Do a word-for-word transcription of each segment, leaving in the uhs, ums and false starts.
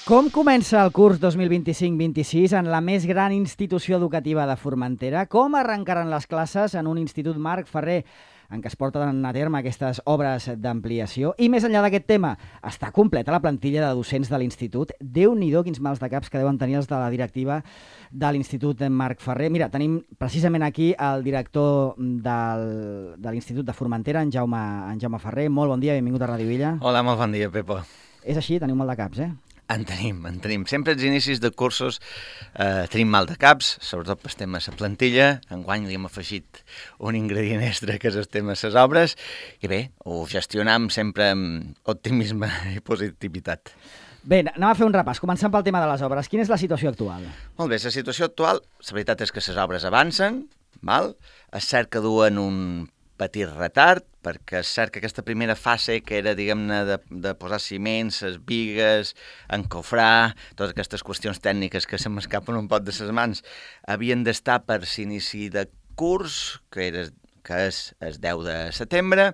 Com comença el curs dos mil vint-i-cinc vint-i-sis en la més gran institució educativa de Formentera? Com arrencaran les classes en un institut Marc Ferrer en què es porten a terme aquestes obres d'ampliació? I més enllà d'aquest tema, està completa la plantilla de docents de l'institut? Déu-n'hi-do quins mals de caps que deuen tenir els de la directiva de l'Institut Marc Ferrer. Mira, tenim precisament aquí el director del, de l'Institut de Formentera, en Jaume, en Jaume Ferrer. Molt bon dia, benvingut a Ràdio Illa. Hola, molt bon dia, Pepo. És així, teniu mal de caps, eh? En tenim, en tenim. Sempre als inicis de cursos eh, tenim mal de caps, sobretot pel tema de la plantilla. Enguany li hem afegit un ingredient extra que és el tema de les obres. I bé, ho gestionam sempre amb optimisme i positivitat. Bé, anem a fer un repàs. Començant pel tema de les obres. Quina és la situació actual? Molt bé, la situació actual, la veritat és que les obres avancen, val? És cert que duen un petit retard, perquè és cert que aquesta primera fase, que era, diguem-ne, de, de posar ciments, les bigues, encofrar, totes aquestes qüestions tècniques que se m'escapen un pot de les mans, havien d'estar per l'inici de curs, que, era, que és el deu de setembre.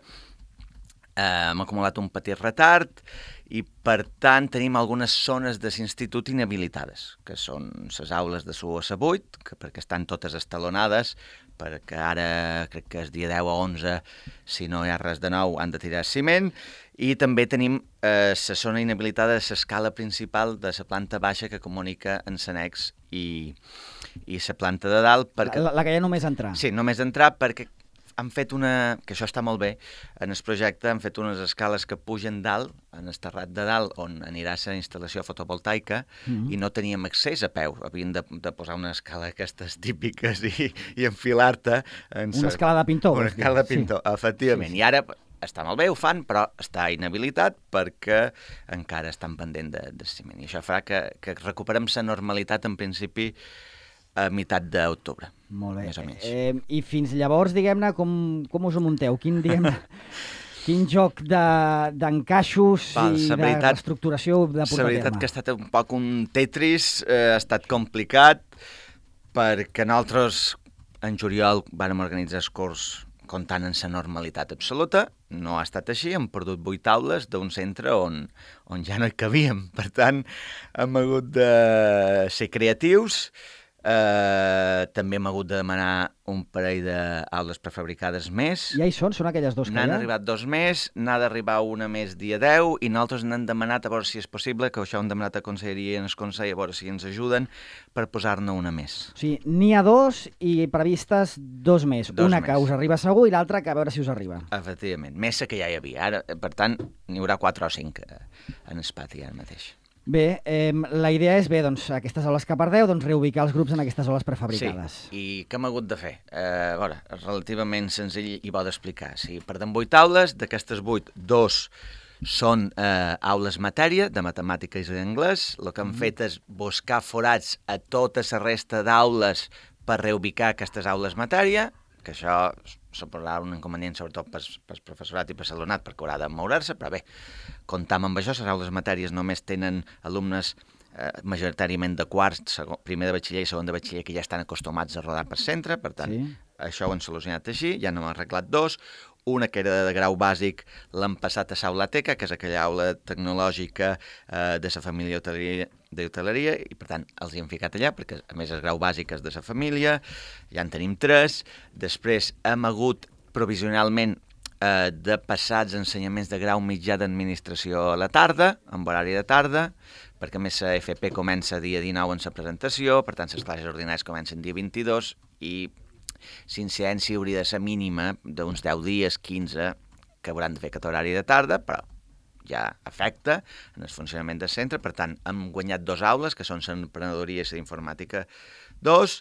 Eh, hem acumulat un petit retard i, per tant, tenim algunes zones de l'institut inhabilitades, que són les aules de l'u a la vuit, que perquè estan totes estalonades, perquè ara crec que és dia deu a onze, si no hi ha res de nou, han de tirar ciment, i també tenim eh, la zona inhabilitada de l'escala principal de la planta baixa que comunica en l'annex i, i la planta de dalt. Perquè... La, la que hi ha només entrar. Sí, només entrar perquè han fet una, que això està molt bé, en el projecte han fet unes escales que pugen dalt, en el terrat de dalt, on anirà la instal·lació fotovoltaica, mm-hmm. i no teníem accés a peu. Havien de, de posar una escala d'aquestes típiques i, i enfilar-te. En una sa... escala de pintor. Una escala de pintor, sí. Efectivament. Sí, sí. I ara està molt bé, ho fan, però està inhabilitat perquè encara estan pendent de, de ciment. I això farà que, que recuperem la normalitat, en principi, a meitat d'octubre. Molt bé. Més o menys. Eh, I fins llavors, diguem-ne, com, com us ho munteu? Quin, diguem-ne, quin joc d'encaixos de, i de veritat, reestructuració de portar a terme? La veritat que ha estat un poc un Tetris, eh, ha estat complicat, perquè nosaltres en juliol vàrem organitzar el curs comptant en la normalitat absoluta. No ha estat així, hem perdut vuit aules d'un centre on, on ja no hi cabíem. Per tant, hem hagut de ser creatius. Uh, també hem hagut de demanar un parell d'aules prefabricades més. Ja hi són? Són aquelles dos que hi ha? N'han arribat dos més, n'ha d'arribar una més dia deu, i nosaltres n'hem demanat a veure si és possible, que això ho hem demanat a Conselleria i en el Consell, a veure si ens ajuden per posar-ne una més. O sigui, n'hi ha dos i previstes dos més. Dos una més. Que us arriba segur i l'altra que a veure si us arriba. Efectivament, més que ja hi havia. Ara, per tant, n'hi haurà quatre o cinc en el pati ara mateix. Bé, eh, la idea és, bé, doncs, aquestes aules que perdeu, doncs reubicar els grups en aquestes aules prefabricades. Sí, i què hem hagut de fer? Eh, a veure, és relativament senzill i bo d'explicar. Si perdem vuit aules, d'aquestes vuit, dos són eh, aules matèria, de matemàtiques i d'anglès. El que hem mm. fet és buscar forats a tota la resta d'aules per reubicar aquestes aules matèria, que això suposarà un inconvenient sobretot pel, pel professorat i per l'alumnat perquè haurà de moure's, però bé, comptam amb això, les aules matèries només tenen alumnes eh, majoritàriament de quarts, segon, primer de batxiller i segon de batxiller, que ja estan acostumats a rodar per centre, per tant, sí. Això ho hem solucionat així, ja n'hem arreglat dos. Una que era de grau bàsic l'hem passat a Saula Teca, que és aquella aula tecnològica eh, de la família d'hoteleria, i per tant els hi hem ficat allà, perquè a més el grau bàsic és de la família, ja en tenim tres. Després hem hagut provisionalment eh, de passar els ensenyaments de grau mitjà d'administració a la tarda, amb horari de tarda, perquè a més la F P comença dia dinou en la presentació, per tant les classes ordinàries comencen dia vint-i-dos, i l'incidència hauria de ser mínima d'uns deu dies, quinze, que hauran de fer aquest horari de tarda, però ja afecta en el funcionament del centre. Per tant, hem guanyat dos aules, que són l'emprenedoria i la informàtica dos.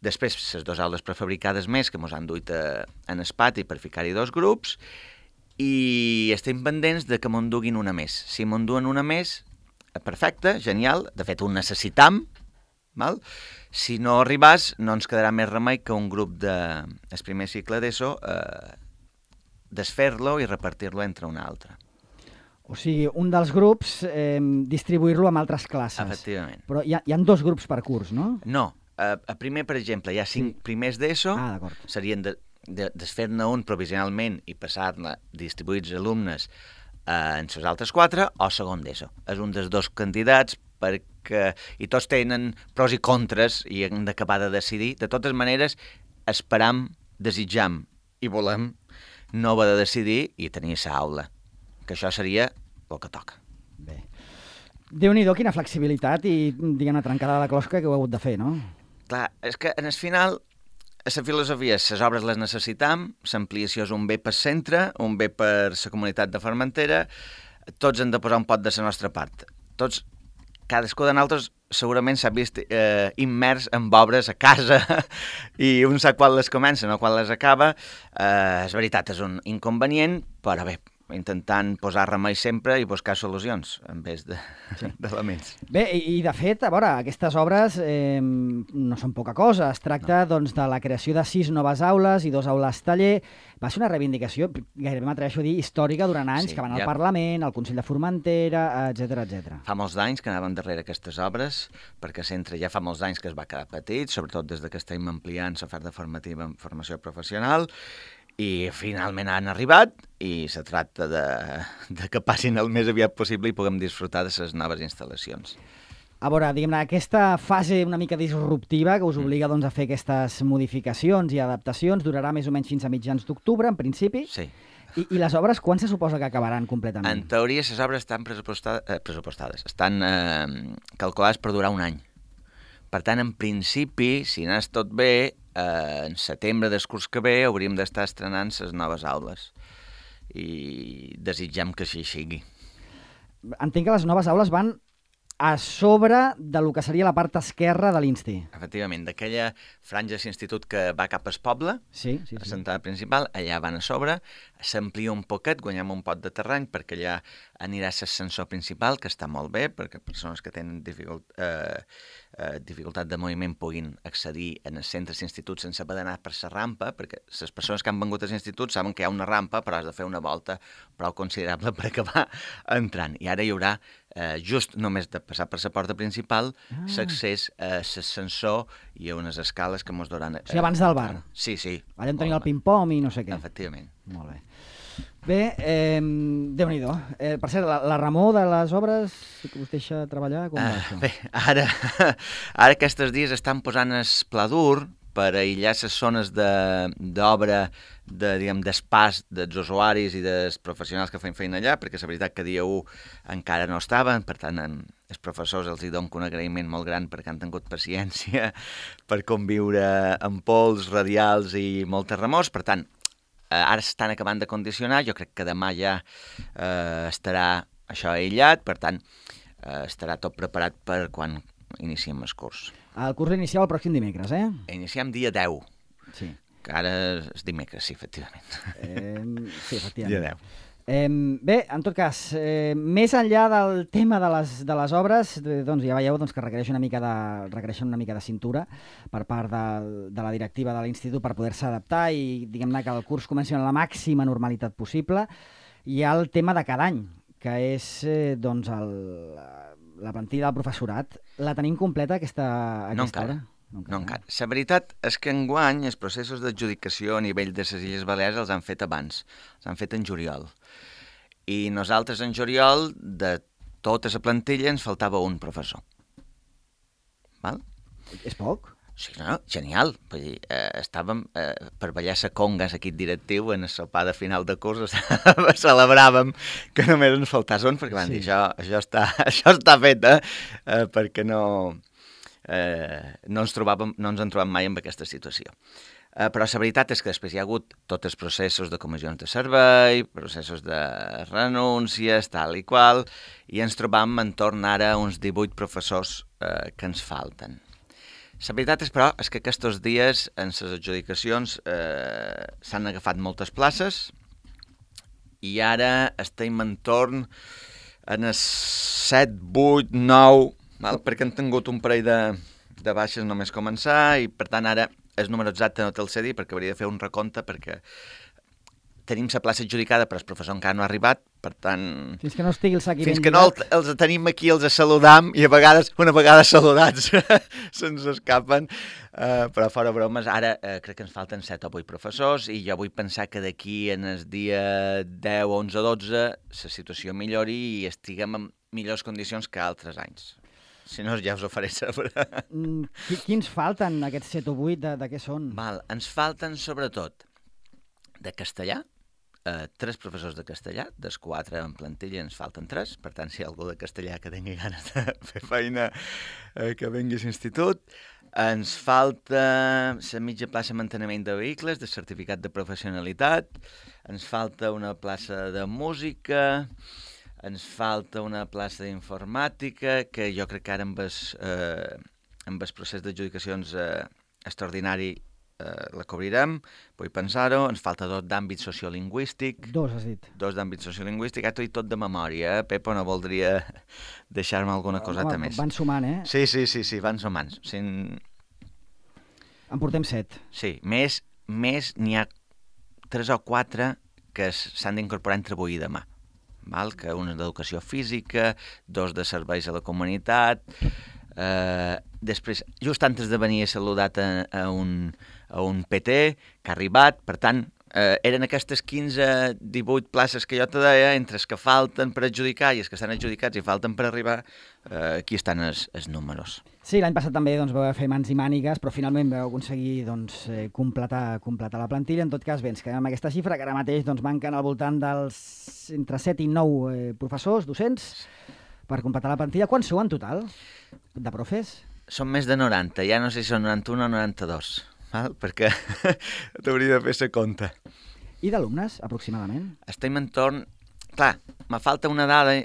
Després, les dues aules prefabricades més, que ens han duit a, en el pati per ficar-hi dos grups, i estem pendents de que me'n duguin una més. Si me'n duen una més, perfecte, genial, de fet ho necessitam, val? Si no arribàs, no ens quedarà més remei que un grup de el primer cicle d'ESO eh, desfer-lo i repartir-lo entre una altra. O sigui, un dels grups eh, distribuir-lo amb altres classes. Efectivament. Però hi ha, hi ha dos grups per curs, no? No. A, a primer, per exemple, hi ha cinc sí. primers d'ESO, ah, serien de, de, desfer-ne un provisionalment i passar-ne, distribuir els alumnes eh, en les altres quatre, o segon d'ESO. És un dels dos candidats perquè... I tots tenen pros i contres i hem d'acabar de decidir. De totes maneres, esperam, desitjam i volem no haver de decidir i tenir sa aula, que això seria el que toca. Bé. Déu-n'hi-do, quina flexibilitat i, diguem-ne, trencada de la closca que heu hagut de fer, no? Clar, és que en el final, a la filosofia, les obres les necessitam, l'ampliació és un bé per centre, un bé per la comunitat de Formentera, tots hem de posar un pot de la nostra part. Tots, cadascú de nosaltres segurament s'ha vist eh, immers en obres a casa i un sap quan les comença, no quan les acaba. Eh, és veritat, és un inconvenient, però bé, intentant posar remei sempre i buscar solucions en vez d'elements. De, Bé, i, i de fet, a veure, aquestes obres eh, no són poca cosa. Es tracta no. doncs, de la creació de sis noves aules i dos aules taller. Va ser una reivindicació, gairebé m'atreveixo a dir, històrica durant anys, sí, que van al ja... Parlament, al Consell de Formentera, etcètera etcètera. Fa molts anys que anàvem darrere aquestes obres, perquè centre ja fa molts anys que es va quedar petit, sobretot des que estem ampliant l'oferta formativa en formació professional, i finalment han arribat i se tracta de, de que passin el més aviat possible i puguem disfrutar de les noves instal·lacions. A veure, diguem-ne, aquesta fase una mica disruptiva que us obliga doncs, a fer aquestes modificacions i adaptacions durarà més o menys fins a mitjans d'octubre, en principi. Sí. I, I les obres, quan se suposa que acabaran completament? En teoria, les obres estan pressupostades, eh, pressupostades estan eh, calculades per durar un any. Per tant, en principi, si anés tot bé, eh, en setembre del curs que ve hauríem d'estar estrenant les noves aules. I desitgem que així sigui. Entenc que les noves aules van a sobre de lo que seria la part esquerra de l'Insti. Efectivament, d'aquella franja de l'institut que va cap al poble, sí, sí, sí. a l'entrada principal, allà van a sobre, s'amplia un poquet, guanyem un pot de terreny, perquè allà anirà l'ascensor principal, que està molt bé, perquè persones que tenen dificult, eh, eh, dificultat de moviment puguin accedir en els centres d'institut sense haver d'anar per la rampa, perquè les persones que han vengut als instituts saben que hi ha una rampa, però has de fer una volta prou considerable per acabar entrant. I ara hi haurà Eh, just només de passar per la porta principal, ah. l'accés a l'ascensor i a unes escales que mos duran... Eh, o sigui, abans del bar? Sí, sí. Allà on tenia el ping-pong i no sé què. Efectivament. Molt bé. Bé, eh, Déu-n'hi-do. Eh, per cert, la, la remor de les obres que us deixa treballar, com va això? Uh, bé, ara, ara aquests dies estan posant el pla dur per aïllar les zones d'obra, de, diguem, d'espàs dels usuaris i dels professionals que feien feina allà, perquè és veritat que dia u encara no estaven, per tant, en, els professors els hi dono un agraïment molt gran perquè han tingut paciència per conviure amb pols, radials i moltes remors. Per tant, eh, ara s'estan acabant de condicionar, jo crec que demà ja eh, estarà això aïllat, per tant, eh, estarà tot preparat per quan iniciem el curs. El curs inicial el pròxim dimecres, eh? Iniciem dia deu. Sí. Que ara és dimecres, sí, efectivament. Eh, sí, efectivament. Dia deu. Eh, bé, en tot cas, eh, més enllà del tema de les, de les obres, doncs ja veieu doncs, que requereix una mica de, requereixen una mica de cintura per part de, de la directiva de l'institut per poder-se adaptar i diguem-ne que el curs comenci amb la màxima normalitat possible. Hi ha el tema de cada any, que és eh, doncs el, la plantilla del professorat. La tenim completa aquesta, aquesta no encara. hora? No encara. No encara. La veritat és que enguany els processos d'adjudicació a nivell de les Illes Balears els han fet abans, els han fet en juliol. I nosaltres en juliol, de tota la plantilla, ens faltava un professor. Val? És poc? Sí, no, genial. Vull dir, eh, estàvem eh, per ballar la conga, l'equip directiu, en el sopar de final de curs, celebràvem que només ens faltàs un, perquè van sí. dir, això, això, està, això està fet, eh? eh perquè no, eh, no, ens trobàvem, no ens en trobàvem mai en aquesta situació. Eh, però la veritat és que després hi ha hagut tots els processos de comissions de servei, processos de renúncies, tal i qual, i ens trobam entorn ara uns divuit professors eh, que ens falten. La veritat és, però, és que aquests dies en les adjudicacions eh, s'han agafat moltes places i ara estem entorn en els set, vuit, nou, val? Perquè han tingut un parell de, de baixes només començar i, per tant, ara el número exacte no te'l sé dir perquè hauria de fer un recompte perquè tenim la plaça adjudicada però el professor encara no ha arribat, per tant... Fins que no estigui el sac i Fins que no el, els tenim aquí, els saludam i a vegades, una vegada saludats, se'ns escapen. Uh, però fora bromes, ara uh, crec que ens falten set o vuit professors i jo vull pensar que d'aquí en el dia deu, onze, dotze la situació millori i estiguem en millors condicions que altres anys. Si no, ja us ho faré saber. Mm, qui- Quins falten, aquests set o vuit, de, de què són? Val, ens falten, sobretot, de castellà, eh, tres professors de castellà, dels quatre en plantilla ens falten tres, per tant, si hi ha algú de castellà que tingui ganes de fer feina, eh, que vengui a l'institut. Ens falta la mitja plaça de manteniment de vehicles, de certificat de professionalitat, ens falta una plaça de música, ens falta una plaça d'informàtica, que jo crec que ara amb el, eh, amb el procés d'adjudicacions eh, extraordinari eh, la cobrirem, vull pensar-ho. Ens falta dos d'àmbit sociolingüístic. Dos, has dit. Dos d'àmbit sociolingüístic. Ara t'ho he dit tot de memòria, eh? Pepo, no voldria deixar-me alguna coseta Home, més. van sumant, eh? Sí, sí, sí, sí, van sumant. Sí, En portem set. sí. més, més n'hi ha tres o quatre que s'han d'incorporar entre avui i demà. Val? Que un és d'educació física, dos de serveis a la comunitat. Eh, després, just antes de venir he saludat a, a, un, a un P T que ha arribat, per tant, eh, eren aquestes quinze divuit places que jo te deia, entre els que falten per adjudicar i els que estan adjudicats i falten per arribar, eh, aquí estan els, els números. Sí, l'any passat també doncs, vau fer mans i mànigues, però finalment vau aconseguir doncs, eh, completar, completar la plantilla. En tot cas, bé, ens quedem amb aquesta xifra, que ara mateix doncs, manquen al voltant dels entre set i nou eh, professors, docents, per completar la plantilla. Quants sou en total de profes? Són més de noranta, ja no sé si són noranta-un o noranta-dos, val? Perquè t'hauria de fer sa compte. I d'alumnes, aproximadament? Estem entorn... Clar, me falta una dada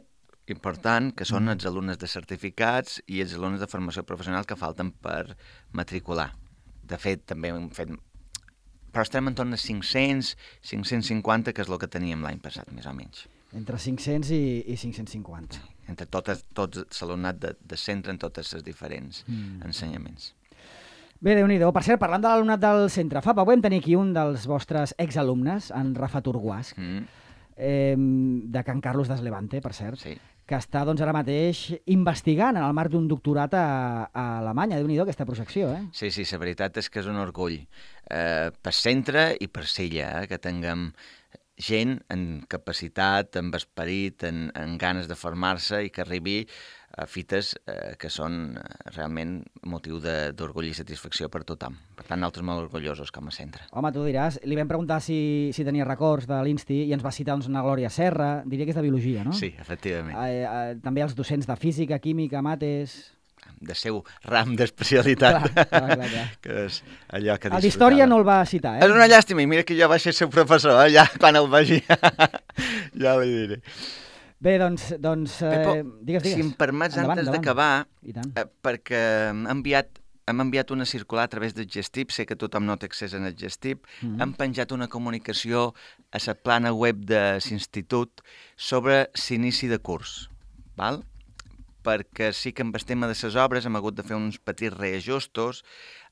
important, que són els alumnes de certificats i els alumnes de formació professional que falten per matricular. De fet, també hem fet... Però estem entorn de cinc-cents, cinc-cents cinquanta, que és el que teníem l'any passat, més o menys. Entre cinc-cents i, i cinc-cents cinquanta. Entre totes, tots l'alumnat de, de centre en totes les diferents mm. ensenyaments. Bé, Déu-n'hi-do. Per cert, parlant de l'alumnat del centre, fa poc vam tenir aquí un dels vostres exalumnes, en Rafa Turguàs, Mm. eh, de Can Carlos d'Eslevante, per cert, Sí. que està doncs, ara mateix investigant en el marc d'un doctorat a, a Alemanya. Déu-n'hi-do aquesta projecció, eh? Sí, sí, la veritat és que és un orgull. Eh, per centre i per Sella, eh, que tinguem gent en capacitat, amb esperit, en, en ganes de formar-se i que arribi a fites eh, que són eh, realment motiu de- d'orgull i satisfacció per tothom. Per tant, nosaltres molt orgullosos com a centre. Home, tu diràs, li vam preguntar si, si tenia records de l'Insti i ens va citar doncs, una Glòria Serra, diria que és de biologia, no? Sí, efectivament. Eh, eh, també els docents de física, química, mates... De seu ram d'especialitat, Clar, clar, clar, clar. que és allò que El d'història disfrutava. no el va citar, eh? És una llàstima, i mira que jo vaig ser seu professor, eh? Ja, quan el vegi, ja li diré. Bé, doncs... doncs eh, Pepo, digues, digues. si em permets, Endavant, antes endavant. d'acabar, I tant. eh, perquè hem enviat, hem enviat una circular a través del Gestip, sé que tothom no té accés en el Gestip, Mhm. hem penjat una comunicació a la plana web de l'institut sobre l'inici de curs, val? Perquè sí que amb el tema de les obres hem hagut de fer uns petits reajustos,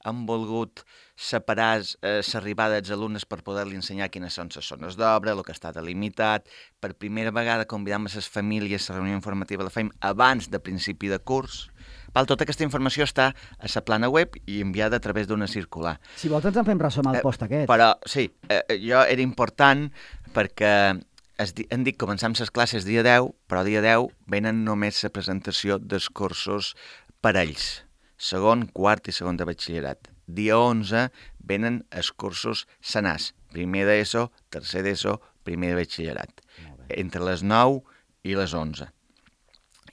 hem volgut separar eh, l'arribada dels alumnes per poder-li ensenyar quines són les zones d'obra, el que està delimitat. Per primera vegada convidam a les famílies, la reunió informativa la fem abans de principi de curs. Val, tota aquesta informació està a la plana web i enviada a través d'una circular. Si vols ens en fem ressò amb el Eh, post aquest. Però sí, eh, jo era important perquè es di hem dit començam les classes dia deu, però dia deu venen només la presentació dels cursos per ells. Segon, quart i segon de batxillerat. Dia onze venen els cursos senars. Primer d'ESO, tercer d'ESO, primer de batxillerat. Entre les nou i les onze.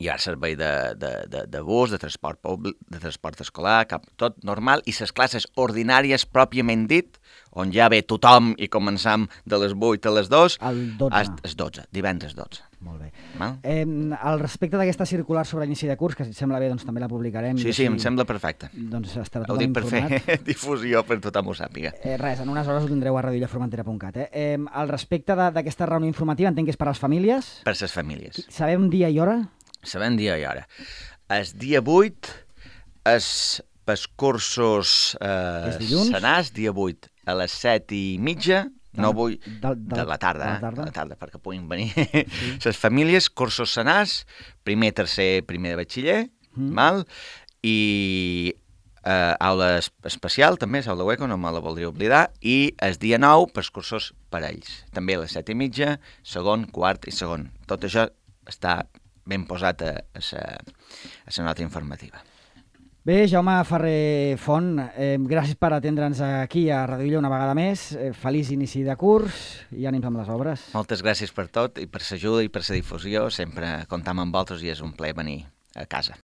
Hi ha servei de, de, de, de bus, de transport públic, de transport escolar, cap, tot normal, i les classes ordinàries pròpiament dit, on ja ve tothom i començam de les vuit a les dues, El dotze. a les dotze, divendres dotze. Molt bé. Val? Eh, al respecte d'aquesta circular sobre l'inici de curs, que si et sembla bé doncs, també la publicarem. Sí, i sí, així, em sembla perfecte. Doncs estarà Ho tothom dic per informat. fer difusió per tothom ho sàpiga. Eh, res, en unes hores ho tindreu a radiollaformentera punt cat. Eh? Eh, al respecte de- d'aquesta reunió informativa, entenc que és per a les famílies. Per les famílies. Sabem dia i hora? Sabem dia i hora. El dia vuit és pels cursos eh, És dilluns? senars, dia vuit a les set i mitja, no De- vull... de- de- De la tarda, de la eh? tarda. De la tarda, perquè puguin venir les famílies, cursos senars, primer, tercer, primer de batxiller, Mm. val? I eh, aula es- especial, també, és aula hueco, no me la voldria oblidar, i el dia nou pels cursos per ells. També a les set i mitja, segon, quart i segon. Tot això està ben posat a la nota informativa. Bé, Jaume Ferrer Font, eh, gràcies per atendre'ns aquí a Radio Illa una vegada més. Eh, feliç inici de curs i ànims amb les obres. Moltes gràcies per tot i per l'ajuda i per la difusió. Sempre comptam amb vosaltres i és un plaer venir a casa.